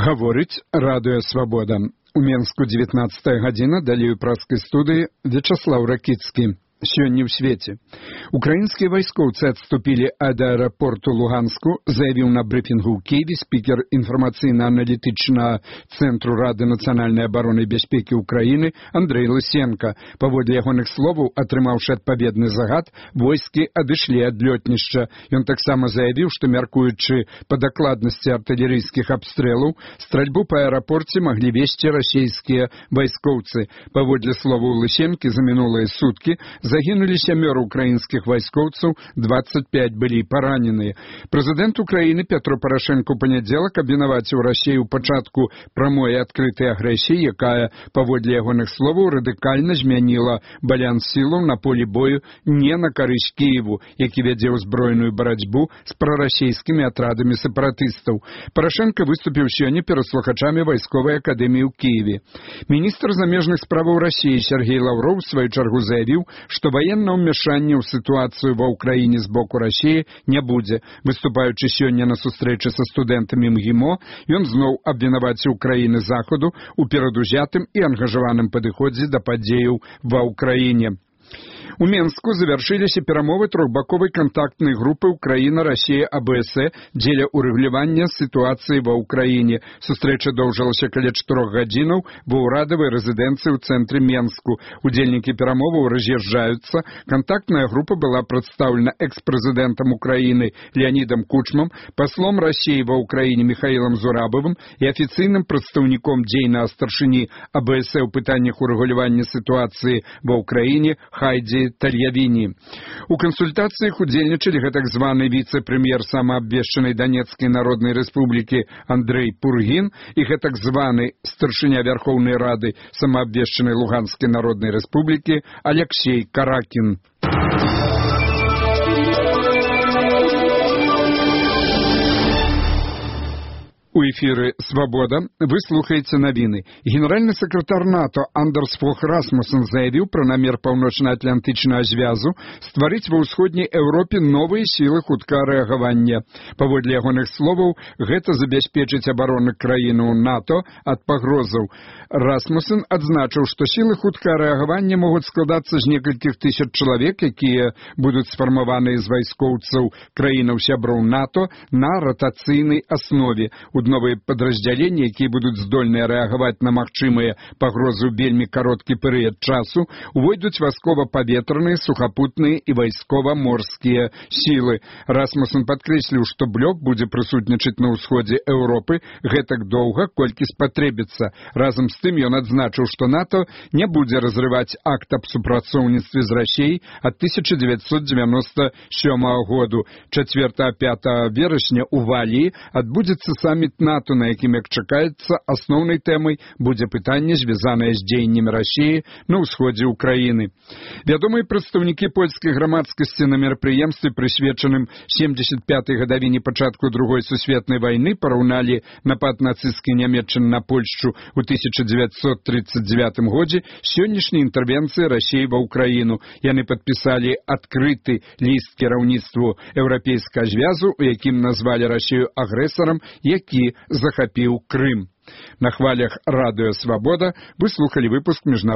Гаворыць радыё «Свабода». У Менску 19 гадзіна, далей у праскай студыі Вячаслаў Ракіцкі. Сёння ў свеце. Украінскія вайскоўцы адступілі ад аэрапорту Луганску, заявіў на брыфінгу ў Киеве спікер інфармацыйна-аналітычнага цэнтру Рады нацыянальнай абароны і бяспекі Украіны Андрэй Лысенко. Паводле ягоных словаў, атрымаўшы адпаведны загад, войскі адышлі ад лётнішча. Ён таксама заявіў, што, мяркуючы па дакладнасці артылерыйскіх абстрэлаў, стральбу па аэрапорце маглі весці расійскія вайскоўцы. Паводле словаў Лысенкі, за мінулыя суткі загінулі 7 украінскіх вайскоўцаў, 25 былі параненыя. Прэзідэнт Украіны Петро Парашенко ў панядзелак абвінаваціў Расію ў пачатку прамой і адкрытай агрэсіі, якая, паводле ягоных словаў, радыкальна змяніла баланс сілаў на полі бою не на карысць Кіеву, які вядзе ўзброеную барацьбу з прарасійскімі атрадамі сепаратыстаў. Парашенко выступіў сёння перад слухачамі вайсковай акадэміі ў Кіеве. Міністр замежных справаў Расіі Сергей Лавров у сваю чаргу заявіў, што ваеннага ўмяшання ў сітуацыю ва ўкраіне з боку Расіі не будзе. Выступаючы сёння на сустрэчы са студэнтамі МГИМО, ён зноў абвінаваціў краіны Захаду ў перадузятым і ангажаваным падыходзе да падзеяў ва ўкраіне. У Менску завяршыліся перамовы трохбаковай кантактнай групы Украіна-Расія-АБС дзеля ўрэгулявання сітуацыі ва ўкраіне. Сустрэча доўжылася каля 4 гадзінаў ва ўрадавай рэзідэнцыі ў цэнтры Менску. Удзельнікі перамоваў раз'язджаюцца. Кантактная група была прадстаўлена экс-прэзідэнтам Украіны Леонідам Кучмам, паслом Расіі ва ўкраіне Михаілам Зурабавым і афіцыйным прадстаўніком дзейнага старшыні АБС ў пытаннях урэгулявання сітуацыі ва ўкраіне Хайдзі Тальявіні. У кансультацыях удзельнічалі гэтак званы віцэ-прэм'ер самаабвешчанай Данецкай народнай рэспублікі Андрэй Пургін і гэтак званы старшыня Вярхоўнай Рады самаабвешчанай Луганскай народнай рэспублікі Аляксей Каракін. У эфіры «Свабода» вы слухаеце навіны. Генеральны сакратар НАТО Андерс Фог Расмуссен заявіў пра намер паўночна-атлантычнага звязу стварыць ва ўсходняй Еўропе новыя сілы хуткага рэагавання. Паводле ягоных словаў, гэта забяспечыць абарону краіны НАТО ад пагрозаў. Расмуссен адзначыў, што сілы хуткага рэагавання могуць складацца з некалькіх тысяч чалавек, якія будуць сфармаваныя з вайскоўцаў краінаў-сяброў НАТО на ратацыйнай аснове. Новыя падраздзяленні, якія будуць здольныя рэагаваць на магчымыя пагрозы ў вельмі кароткі перыяд часу, увойдуць вайскова-паветраныя, сухапутныя і вайскова-морскія сілы. Расмуссен падкрэсліў, што блок будзе прысутнічаць на ўсходзе Еўропы гэтак доўга, колькі спатрэбіцца. Разам з тым ён адзначыў, што НАТО не будзе разрываць акт аб супрацоўніцтве з Расіяй ад 1997 году. 4-5 верасня ў Валіі адбудзецца саміт НАТО, на якім, як чакаецца, асноўнай тэмай будзе пытанне, звязанае з дзеяннямі Расіі на ўсходзе ўкраіны. Вядомыя прадстаўнікі польскай грамадскасці на мерапрыемстве, прысвечаным 75-й гадавіне пачатку Другой сусветнай вайны, параўналі напад нацысцкай Нямецчыны на Польшчу ў 1939 годзе сённяшняй інтэрвенцыі Расіі ва ўкраіну. Яны падпісалі адкрыты ліст кіраўніцтву Еўрапейскага звязу, у якім назвалі Расію агрэсарам, які захапіў Крым. На хвалях радыё «Свабода» вы слухалі выпуск міжнароднага